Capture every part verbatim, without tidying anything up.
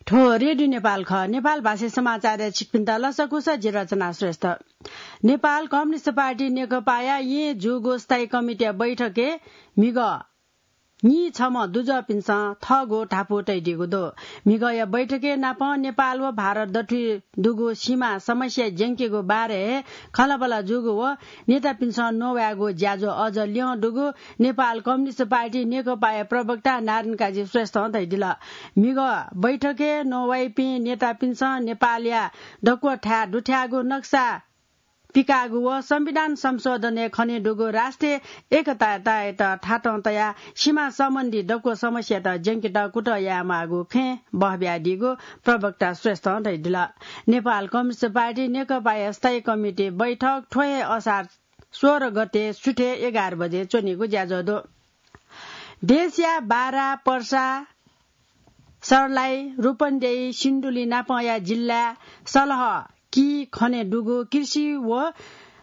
थ्व रेडियो नेपाल खः। नेपाल भाषी समाचारय् छिकपिन्त लसकुस, जि रचना श्रेष्ठ। नेपाल कम्युनिस्ट पार्टी नेकपाया येँ जूगु स्थायी कमिटीया बैठकय् म्हिगः नीछम्ह दुजःपिन्सं थःगु धापू तयादीगु दु। म्हिगःया बैठकय् नापं नेपाल व भारत दथुइ दुगु सीमा समस्या ज्यंकेगु बारे खँल्हाबल्हा जूगु व नेतापिन्सं नवायेगु ज्याझ्वः अझ ल्यं दुगु नेपाल कम्युनिस्ट पार्टी नेकपाया प्रवक्ता नारायण काजी श्रेष्ठं धयादिल। म्हिगः बैठकय् नवाइपिं नेतापिन्सं नेपालया दक्व थाय् दुथ्याःगु नक्सा पिकाःगु व संविधान संशोधनय् खनेदुगु राष्ट्रिय एकतायात थातं तयाः सीमा सम्बन्धी दक्व समस्यात ज्यंकेत कुतः यायेमाःगु खँय् बहबियादीगु प्रवक्ता श्रेष्ठं धयादिल। नेपाल कम्युनिस्ट पार्टी नेकपाया स्थायी कमिटी बैठक थ्व हे असार सोह्र गते सुथय् एघार बजे च्वनीगु ज्याझ्वः दु। देशया बारा, पर्सा, सर्लाही, रूपन्देही, सिन्धुली नापंया जिल्लाय् सलह कि खनेदुगु कृषि व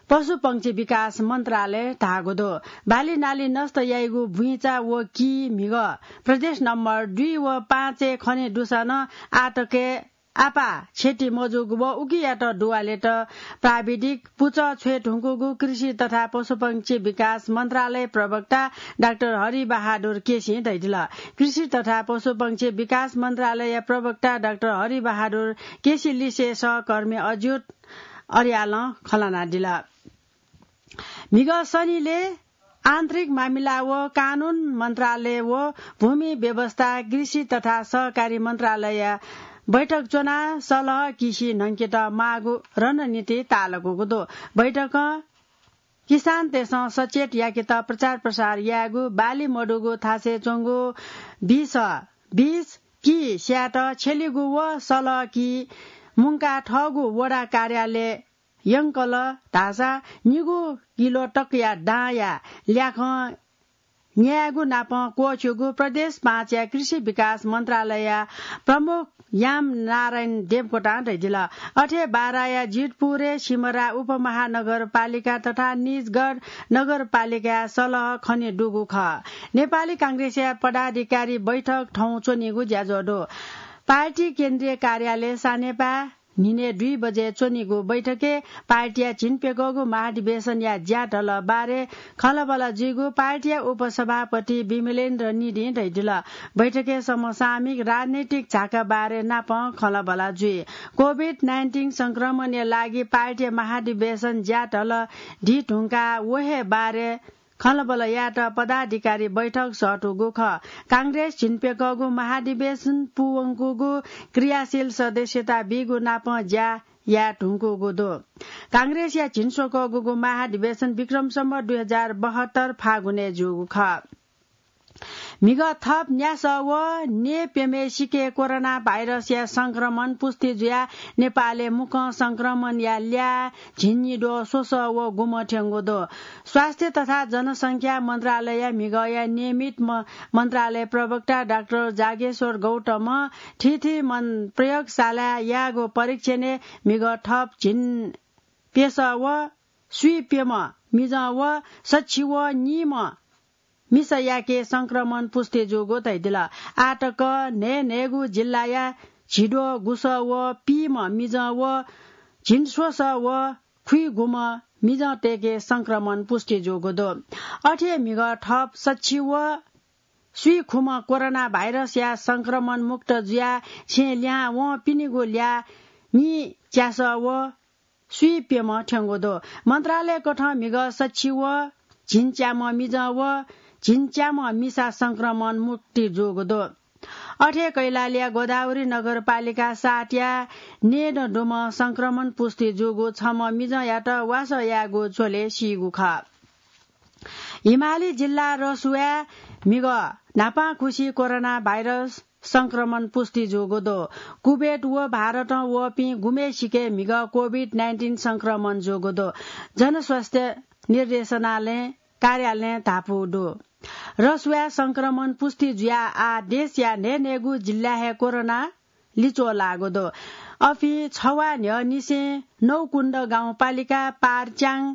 पशुपंक्षी विकास मन्त्रालयं धाःगु दु। बाली नाली नष्ट याइगु बुइँचा व कि म्हिगः प्रदेश नम्बर दुई व पाँचय् खनेदुसा नं आःतकय् आपाः क्षति मजूगु व उकियात दुवालेत प्राविधिक पुचः छ्वये धुंकूगु कृषि तथा पशुपंक्षी विकास मन्त्रालय प्रवक्ता डाक्टर हरि बहादुर केसीं धयादिल। कृषि तथा पशुपंक्षी विकास मन्त्रालय प्रवक्ता डाक्टर हरि बहादुर केसी लिसे सहकर्मी अज्योत अर्यालं खँ ल्हानादिल। म्हिगः शनिले आन्तरिक मामिला व कानून मन्त्रालय व भूमि व्यवस्था, कृषि तथा सहकारी मन्त्रालय बैठक च्वनाः सलह किसि न्हंकेत माःगु रणनीति ताःलाकूगु दु। बैठकं किसानतय्सं सचेत याकेत प्रचार प्रसार यायेगु, बाली मदुगु थासय् च्वंगु बिस, बिस कि स्यायेत छ्यलीगु व सलह कि मुंकाः थःगु वडा कार्यालय यंकल धाःसा निगू किलो तकया दांया ल्याखं न्यायेगु नापं क्वःछ्यूगु प्रदेश पाँचया कृषि विकास मन्त्रालयया प्रमुख याम नारायण देवकोटां धयादिल। अथे बाराया जितपुरय् सिमरा उपमहानगरपालिका तथा निजगढ नगरपालिकाया सलह खनेदुगु खः। नेपाली कांग्रेसया पदाधिकारी बैठक थौं च्वनीगु ज्याझ्वः दु। पार्टी केन्द्रीय कार्यालय सानेपाय् न्हिनय् दुई बजे च्वनीगु बैठकय् पार्टीया झिंप्यघौगु महाधिवेशनया ज्याझ्वः बारे खँल्हाबल्हा जुइगु पार्टीया उपसभापति विमलेन्द्र निधिं धयादिल। बैठकय् समसामयिक राजनैतिक झाका बारे नापं खँल्हाबल्हा जुइ। कोभिड नाइन्टिन संक्रमणया लागि पार्टीया महाधिवेशन ज्याझ्वः दी धुंकाः व हे बारे खँल्हाबल्हा यायेत पदाधिकारी बैठक सःतूगु खः। कांग्रेस झिंप्यघौगु महाधिवेशन पूवंकूगु क्रियाशील सदस्यता बीगु नापं ज्या याये धुंकूगु दु। कांग्रेसया झिंस्वकःगुगु महाधिवेशन विक्रम सम्वत दुई हजार बहत्तर फागुनय् जूगु खः। म्हिगः थप न्यासः व न्यय्प्यम्हेसिके कोरोना भाइरसया संक्रमण पुष्टि जुयाः नेपालय् मुक्कं संक्रमणया ल्याः झिंनिद्वः स्वसः व गुम्ह थ्यंगु दु। स्वास्थ्य तथा जनसंख्या मन्त्रालयया म्हिगःया नियमित म-, मन्त्रालय प्रवक्ता डाक्टर जागेश्वर गौतमं थीथी मन प्रयोगशालाय् याःगु परीक्षणय् म्हिगः थप झिंप्यसः व स्वीप्यम्ह मिजं व सछि व नीम्ह मिसायाके संक्रमण पुष्टि जूगु धयादिल। आःतक न्हय्न्हय्गु जिल्लाया झिद्वः गुसः व पीम्ह मिजं व झिंस्वसः व खुइगुम्ह मिजंतय्के संक्रमण पुष्टि जूगु दु। अथे म्हिगः थप सछि व स्वीखुम्ह कोरोना भाइरसया संक्रमण मुक्त जुयाः छेँ लिहां वंपिनिगु ल्याः नीच्यासः व स्वीप्यम्ह थ्यंगु दु। मन्त्रालयकथं म्हिगः सछि व झिंच्याम्ह मिजं व झिंच्याम्ह मिसा संक्रमण मुक्ति जूगु दु। अथे कैलालीया गोदावरी नगरपालिका सातया न्यय्दँ दुम्ह संक्रमण पुष्टि जूगु छम्ह मिजंयात वासः यायेगु झ्वलय् सीगु खः। हिमाली जिल्ला रसुवाय् म्हिगः न्हापांखुसि कोरोना भाइरस संक्रमण पुष्टि जूगु दु। कुवेत व भारतं वःपिं गुम्हय्सिके म्हिगः कोभिड नाइन्टिन संक्रमण जूगु दु। जनस्वास्थ्य निर्देशनालयं कार्यालयं धापू दु। रसुवाय् संक्रमण पुष्टि जुयाः आः देशया न्हय्न्हय्गु जिल्लाय् हे कोरोना लिच्वः लाःगु दु। अपिं छवाः न्ह्यःनिसें नौकुण्ड गाउँपालिका पारच्याङ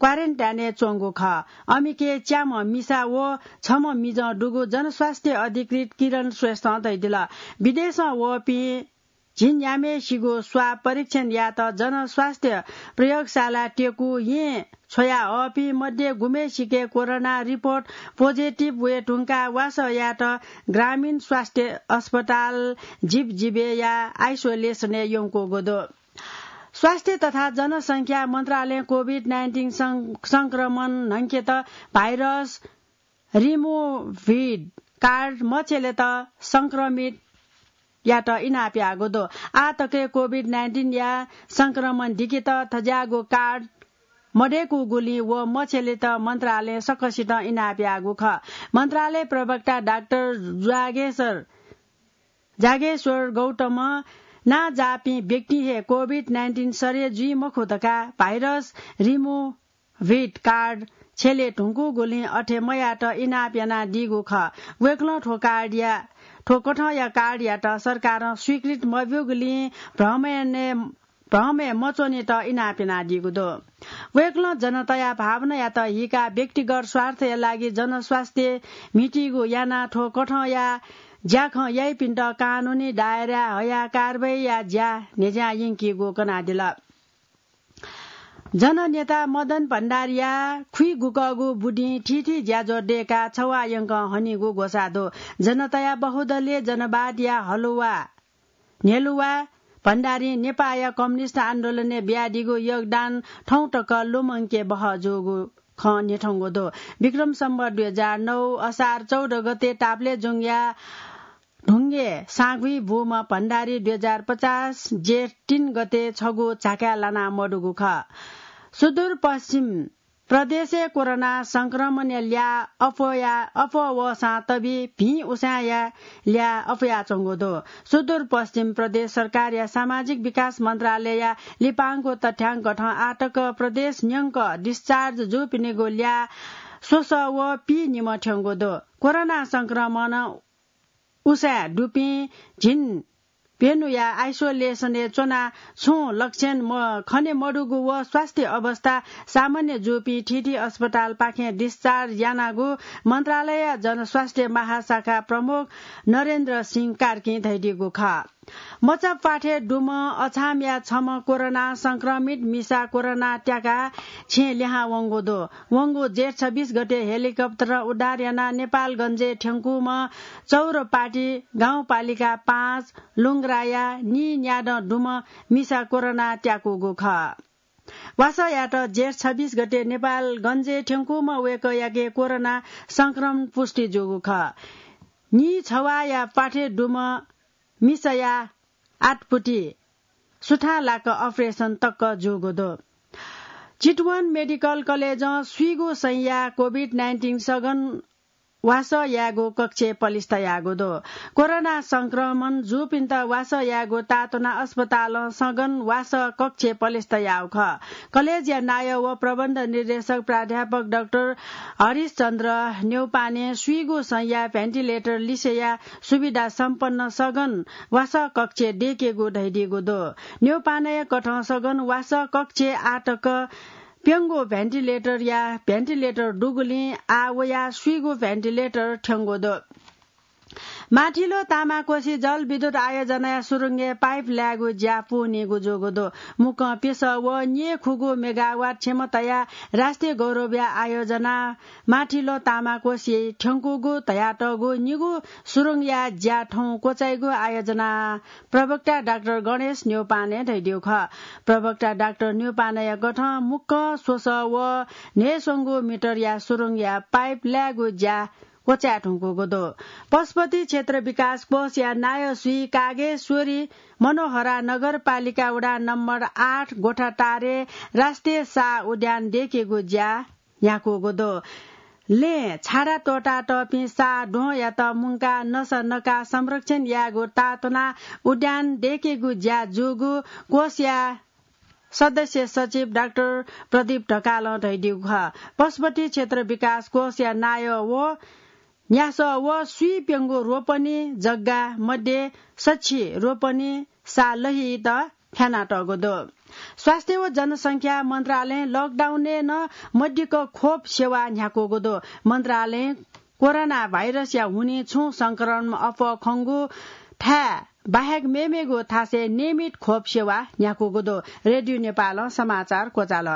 क्वारेन्टाइनय् च्वंगु खः। अमेरिकाय् च्याम्ह मिसा व छम्ह मिजं दुगु जनस्वास्थ्य अधिकृत किरण श्रेष्ठं धयादिल। विदेशं वःपिं झिंन्याम्हेसिगु स्वाब परीक्षण यायेत जनस्वास्थ्य प्रयोगशाला त्यकू येँ छ्वयाहःपिं मध्ये गुम्हेसिके कोरोना रिपोर्ट पोजिटिभ वये धुंकाः वासः यायेत ग्रामीण स्वास्थ्य अस्पताल जिबजिबया आइसोलेसनय् यंकूगु दु। स्वास्थ्य तथा जनसंख्या मन्त्रालयं कोभिड नाइन्टिन सं-, संक्रमण न्हंकेत भाइरस रिमोभिड कार्ड मछ्यलेत संक्रमित यात इनाप याःगु दु। आः तक कोभिड नाइन्टिनया संक्रमण दिकेत थज्याःगु कार्ड मदय्कूगुलिं व मछ्यलेत मन्त्रालयं सकसितं इनाप याःगु खः। मन्त्रालय प्रवक्ता डाक्टर जागेश्वर, जागेश्वर गौतमं नांजाःपिं व्यक्ति हे कोभिड नाइन्टिन सरे जुइ मखु धकाः भाइरस रिमोभिड कार्ड छ्यले धुंकूगुलिं अथे मयात इनाप यानादीगु खः। वय्कलं थ्व कार्डया, थ्व कथंया कार्डयात सरकारं स्वीकृत मब्यूगुलिं भ्रमय्, भ्रमय् मच्वनेत इनाप यानादीगु दु। वय्कलं जनताया भावनायात हिकाः व्यक्तिगत स्वार्थया लागि जनस्वास्थ्य म्हितीगु यानाः थ्व कथंया ज्याखँ याइपिन्त कानूनी दायराय् हयाः कारवाहीया ज्या न्ह्यज्यां यंकीगु कनादिल। जननेता मदन भण्डारीया खुइगुकःगु बुदिं थीथी ज्याझ्वः दय्काः छवाः यंकं हनीगु ग्वसाः दु। जनताया बहुदलीय जनवादया हलुवा न्ह्यलुवा भण्डारीं नेपाःया कम्युनिस्ट आन्दोलनय् बियादीगु योगदान थौं तक लुमंके बहः जूगु खँ न्ह्यथंगु दु। विक्रम सम्वत दुई हजार नौ असार चौध गते ताप्लेजुङया ढुङ्गे साँघुइ बूम्ह भण्डारी दुई हजार पचास जेठ तीन गते छगू झाकाय् लाना मदुगु खः। सुदूरपश्चिम प्रदेशय् कोरोना संक्रमणया ल्याः अप्वया-, अप्वः वःसां तबि भिं उसाँय्‌या ल्याः अप्वयाच्वंगु दु। सुदूरपश्चिम प्रदेश सरकारया सामाजिक विकास मन्त्रालयया लिपांगु तथ्यांक थें आः तक प्रदेश न्यंक डिस्चार्ज जूपिनिगु ल्याः स्वसः व पीनिम्ह थ्यंगु दु। कोरोना संक्रमण उसाँय् दुपिं झिंप्यन्हुया आइसोलेसनय् च्वनाः छुं लक्षण म-, खने मदुगु व स्वास्थ्य अवस्था सामान्य जूपिं थीथी अस्पतालपाखें डिस्चार्ज यानागु मन्त्रालयया जनस्वास्थ्य महाशाखा प्रमुख नरेन्द्र सिंह कार्कीं धयादीगु खः। मचा प्वाथय् दुम्ह अछामया छम्ह कोरोना संक्रमित मिसा कोरोना त्याकाः छेँ लिहां वंगु दु। वंगु जेठ छब्बीस गते हेलिकप्टरं उद्धार यानाः नेपालगञ्जय् थ्यंकूम्ह चौरपाटी गाउँपालिका पाँच लुङ्ग्राया नीन्यादँ दुम्ह मिसा कोरोना त्याकूगु खः। वासःयात जेठ छब्बीस गते नेपालगञ्जय् थ्यंकूम्ह वय्कःयाके कोरोना संक्रमण पुष्टि जूगु खः। नीछवाःया प्वाथय् दुम्ह मिसाया आतपुति सुथांलाक अपरेसन तक जूगु दु। चितवन मेडिकल कलेजं स्वीगू संया कोभिड नाइन्टिन सघन वासः यायेगु कक्ष पलिस्था याःगु दु। कोरोना संक्रमण जूपिन्त वासः यायेगु ताःतुनाः अस्पतालं सघन वासः कक्ष पलिस्था याःगु खः। कलेजया नायः व प्रबन्ध निर्देशक प्राध्यापक डाक्टर हरिशचन्द्र न्यौपाने स्वीगू संया भेन्टिलेटर लिसेया सुविधा सम्पन्न सघन वासः कक्ष दयेकेगु धयादीगु दु। न्यौपानेया कथं सघन वासः कक्ष आः तक प्यंगू भेन्टिलेटरया भेन्टिलेटर दुगुलिं आः वयाः स्वीगू भेन्टिलेटर थ्यंगु दु। माथिलो तामाकोसी जलविद्युत आयोजनाया सुरुङय् पाइप लायेगु ज्या पूवनीगु जूगु दु। मुक्कं प्यसः व न्येखुगू मेगावाट क्षमताया राष्ट्रिय गौरवया आयोजना माथिलो तामाकोसी थ्यंकूगु धयातःगु निगू सुरुङया ज्या थौं क्वचाइगु आयोजना प्रवक्ता डाक्टर गणेश न्यौपाने धयादीगु खः। प्रवक्ता डाक्टर न्यौपानेया कथं मुक्कं स्वसः व न्हय्स्वंगू मिटरया सुरुङया पाइप लायेगु ज्या क्वचाये धुंकूगु दु। पशुपति क्षेत्र विकास कोषया नायः श्री कागेश्वरी मनोहरा नगरपालिका वडा नम्बर आठ गोठाटारे राष्ट्रिय साह उद्यान दयेकेगु ज्या न्ह्याकूगु दु। लँय् छारा त्वःतातःपिं साह द्वहंयात मुंकाः नसा नकाः संरक्षण यायेगु ताःतुनाः उद्यान दयेकेगु ज्या जूगु कोषया सदस्य सचिव डाक्टर प्रदीप ढकालं धयादीगु खः। पशुपति क्षेत्र विकास कोषया नायः व न्यासः व स्वीप्यंगू रोपनी जग्गा मध्ये सछि रोपनी साह लहित फ्यानातःगु दु। स्वास्थ्य व जनसंख्या मन्त्रालयं लकडाउनय् नं मदिक्क खोप सेवा न्ह्याकूगु दु। मन्त्रालयं कोरोना भाइरसया हुनिं छुं संक्रमण अप्वः खंगु थाय् बाहेक मेमेगु थासय् नियमित खोप सेवा न्ह्याकूगु दु। रेडियो नेपालं समाचार क्वचाल।